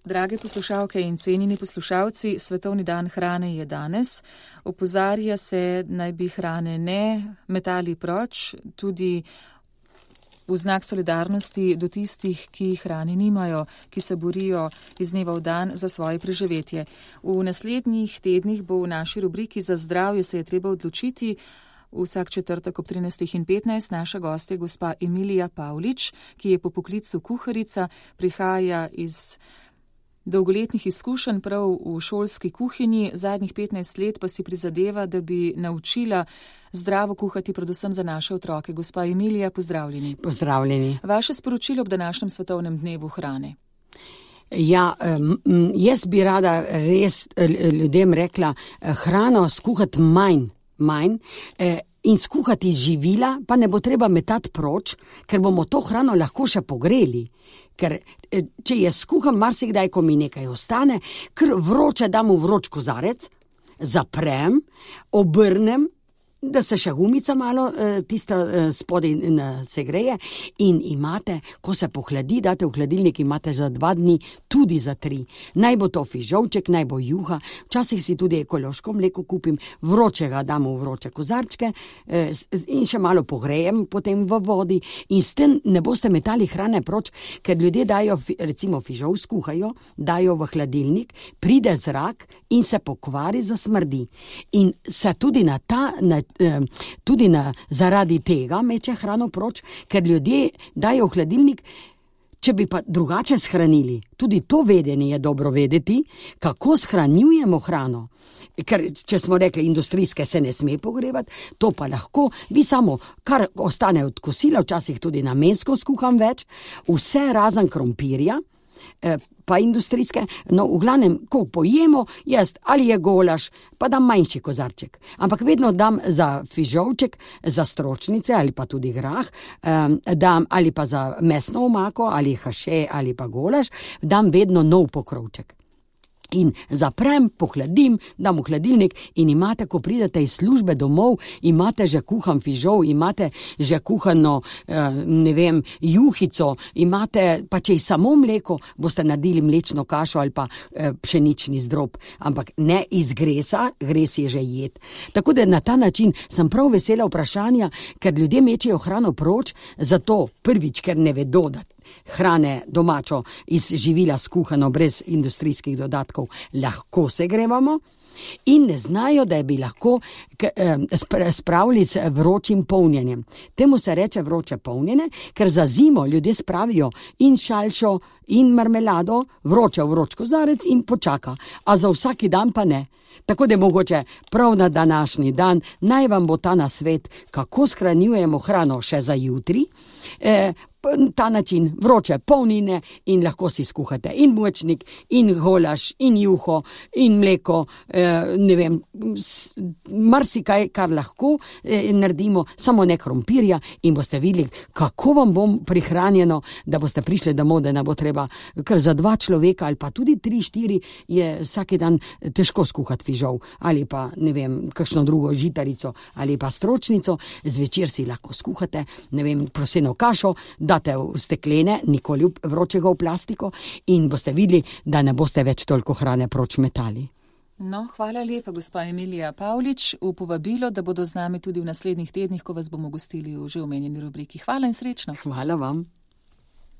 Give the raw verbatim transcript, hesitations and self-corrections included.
Drage poslušalke in cenjeni poslušalci, Svetovni dan hrane je danes. Opozarja se, naj bi hrane ne metali proč, tudi v znak solidarnosti do tistih, ki hrane nimajo, ki se borijo iz dneva v dan za svoje preživetje. V naslednjih tednih bo v naši rubriki Za zdravje se je treba odločiti. Vsak četrtek ob trinajstih in petnajst naša gostja gospa Emilija Pavlič, ki je po poklicu kuharica, prihaja iz dolgoletnih izkušenj prav v šolski kuhinji, zadnjih petnajst let pa si prizadeva, da bi naučila zdravo kuhati predvsem za naše otroke. Gospa Emilija, pozdravljeni. Pozdravljeni. Vaše sporočilo ob današnjem svetovnem dnevu hrane. Ja, jaz bi rada res ljudem rekla, hrano skuhati manj, manj in skuhati živila, pa ne bo treba metati proč, ker bomo to hrano lahko še pogreli. Ker če je skuham marsikdaj, ko mi nekaj ostane, ker vroče dam v vroč kozarec, zaprem, obrnem, da se še gumica malo tista spodaj segreje in imate, ko se pohladi, date v hladilnik, imate za dva dni, tudi za tri. Naj bo to fižolček, naj bo juha, včasih si tudi ekološko mleko kupim, vroče ga dam v vroče kozarčke in še malo pogrejem potem v vodi in s tem ne boste metali hrane proč, ker ljudje dajo, recimo fižol skuhajo, dajo v hladilnik, pride zrak in se pokvari, zasmrdi. In se tudi na ta na tudi na, zaradi tega meče hrano proč, ker ljudje dajo v hladilnik, če bi pa drugače shranili. Tudi to vedenje je dobro vedeti, kako shranjujemo hrano. Ker, če smo rekli, industrijske se ne sme pogrevati, to pa lahko, vi samo, kar ostane od kosila, včasih tudi namensko skuham več, vse razen krompirja, pa industrijske, no v glavnem, ko pojemo, jaz ali je golaž, pa dam manjši kozarček. Ampak vedno dam za fižolček, za stročnice ali pa tudi grah, um, dam ali pa za mesno omako, ali haše, ali pa golaž, dam vedno nov pokrovček. In zaprem, pohladim, dam v hladilnik in imate, ko pridete iz službe domov, imate že kuhan fižol, imate že kuhano, ne vem, juhico, imate, pa če je samo mleko, boste naredili mlečno kašo ali pa pšenični zdrob. Ampak ne iz gresa, gres je že jed. Tako da na ta način sem prav vesela vprašanja, ker ljudje mečejo hrano proč, zato prvič, ker ne vedo, da hrane domačo iz živila skuhano brez industrijskih dodatkov lahko segrevamo in ne znajo, da bi lahko spravili s vročim polnjenjem. Temu se reče vroče polnjenje, ker za zimo ljudje spravijo in šalčo in marmelado, vroče v vroč kozarec in počaka, a za vsaki dan pa ne. Tako da mogoče prav na današnji dan naj vam bo ta nasvet, kako shranjujemo hrano še za jutri, e, ta način vroče polnine in lahko si skuhate in močnik, in golaž, in juho, in mleko, eh, ne vem, marsikaj, kar lahko eh, naredimo, samo ne krompirja in boste videli, kako vam bom prihranjeno, da boste prišli domov, da ne bo treba, ker za dva človeka ali pa tudi tri, štiri je vsaki dan težko skuhati fižol ali pa, ne vem, kakšno drugo žitarico ali pa stročnico, zvečer si lahko skuhate, ne vem, proseno kašo, date v steklene, nikoli vročega v plastiko in boste videli, da ne boste več toliko hrane proč metali. No, hvala lepa, gospa Emilija Pavlič, v povabilo, da bodo z nami tudi v naslednjih tednih, ko vas bomo gostili v že omenjeni rubriki. Hvala in srečno. Hvala vam.